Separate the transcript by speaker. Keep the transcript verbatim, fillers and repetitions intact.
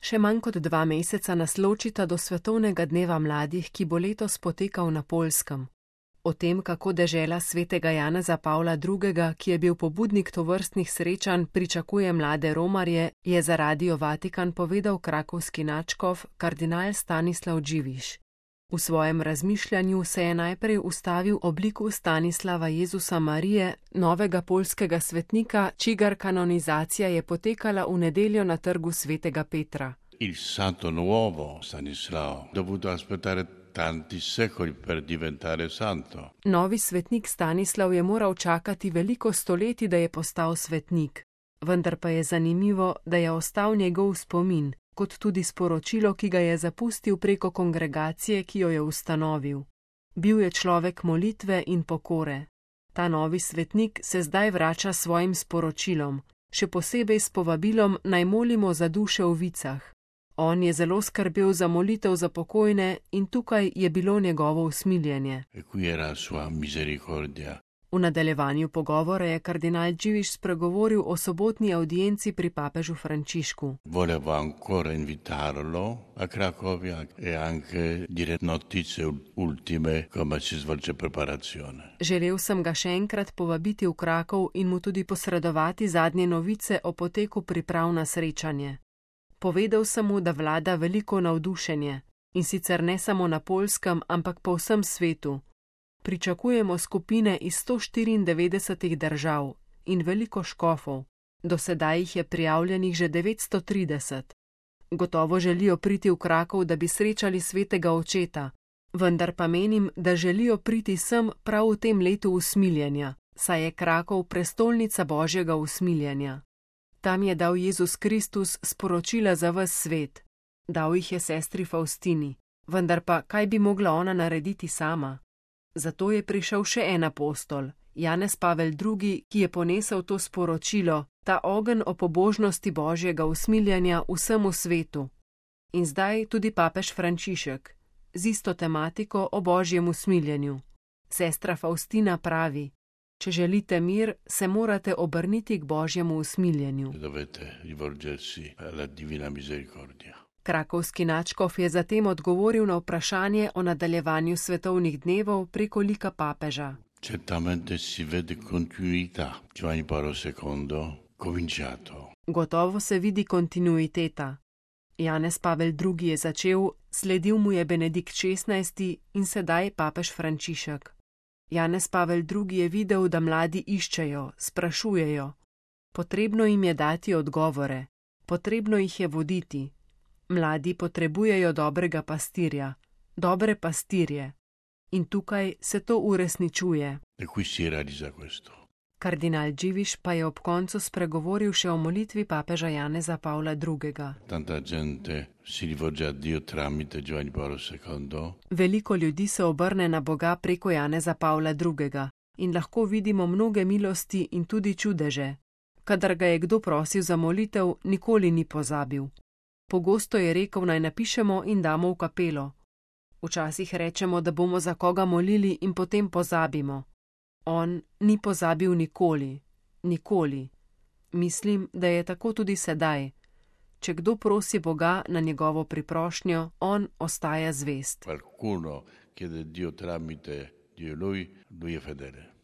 Speaker 1: Še manj kot dva meseca nas ločita do svetovnega dneva mladih, ki bo letos potekal na Poljskem. O tem, kako dežela svetega Janeza Pavla drugega., ki je bil pobudnik tovrstnih srečanj, pričakuje mlade romarje, je za Radio Vatikan povedal krakovski nadškof kardinal Stanislav Dziwisz. V svojem razmišljanju se je najprej ustavil ob liku Stanislava Jezusa Marije, novega poljskega svetnika, čigar kanonizacija je potekala v nedeljo na trgu svetega Petra.
Speaker 2: Il santo nuovo Stanislao dovuto aspettare tanti secoli per diventare santo.
Speaker 1: Novi svetnik Stanislav je moral čakati veliko stoletij, da je postal svetnik. Vendar pa je zanimivo, da je ostal njegov spomin, kot tudi sporočilo, ki ga je zapustil preko kongregacije, ki jo je ustanovil. Bil je človek molitve in pokore. Ta novi svetnik se zdaj vrača s svojim sporočilom, še posebej s povabilom naj molimo za duše v vicah. On je zelo skrbel za molitev za pokojne in tukaj je bilo njegovo usmiljenje.
Speaker 2: E qui era sua misericordia.
Speaker 1: V nadaljevanju pogovora je kardinal Dziwisz spregovoril o sobotni audienci pri papežu Frančišku.
Speaker 2: Volevo ancora invitarlo a Cracovia e anche dire notizie ultime come si svolge preparazione.
Speaker 1: Želel sem ga še enkrat povabiti v Krakov in mu tudi posredovati zadnje novice o poteku priprav na srečanje. Povedal sem mu, da vlada veliko navdušenje, in sicer ne samo na Poljskem, ampak po vsem svetu. Pričakujemo skupine iz sto štiriindevetdesetih držav in veliko škofov. Do sedaj jih je prijavljenih že devetsto trideset. Gotovo želijo priti v Krakov, da bi srečali svetega očeta, vendar pa menim, da želijo priti sem prav v tem letu usmiljenja, saj je Krakov prestolnica Božjega usmiljenja. Tam je dal Jezus Kristus sporočila za ves svet. Dal jih je sestri Faustini, vendar pa kaj bi mogla ona narediti sama? Zato je prišel še en apostol, Janez Pavel drugi., ki je ponesel to sporočilo, ta ogenj o pobožnosti Božjega usmiljenja vsemu svetu. In zdaj tudi papež Frančišek, z isto tematiko o Božjem usmiljenju. Sestra Faustina pravi: če želite mir, se morate obrniti k Božjemu usmiljenju.
Speaker 2: Dovete rivolgersi alla divina misericordia.
Speaker 1: Krakovski nadškof je zatem odgovoril na vprašanje o nadaljevanju svetovnih dnevov preko lika papeža.
Speaker 2: Certamente si vede continuità. Giovanni Paolo secondo cominciato.
Speaker 1: Gotovo se vidi kontinuiteta. Janez Pavel drugi. je začel, sledil mu je Benedikt šestnajsti. in sedaj papež Frančišek. Janez Pavel drugi. je videl, da mladi iščejo, sprašujejo. Potrebno jim je dati odgovore, potrebno jih je voditi. Mladi potrebujejo dobrega pastirja, dobre pastirje. In tukaj se to uresničuje.
Speaker 2: E qui si realizza questo.
Speaker 1: Kardinal Dziwisz pa je ob koncu spregovoril še o molitvi papeža Janeza Pavla drugega.
Speaker 2: Tanta gente si rivolge a Dio tramite Giovanni Paolo secondo.
Speaker 1: Veliko ljudi se obrne na Boga preko Janeza Pavla drugega. in lahko vidimo mnoge milosti in tudi čudeže. Kadar ga je kdo prosil za molitev, nikoli ni pozabil. Pogosto je rekel, naj napišemo in damo v kapelo. Včasih rečemo, da bomo za koga molili in potem pozabimo. On ni pozabil nikoli, nikoli. Mislim, da je tako tudi sedaj. Če kdo prosi Boga na njegovo priprošnjo, on ostaja zvest.
Speaker 2: Qualcuno chiede Dio tramite Dio lui, lui è fedele.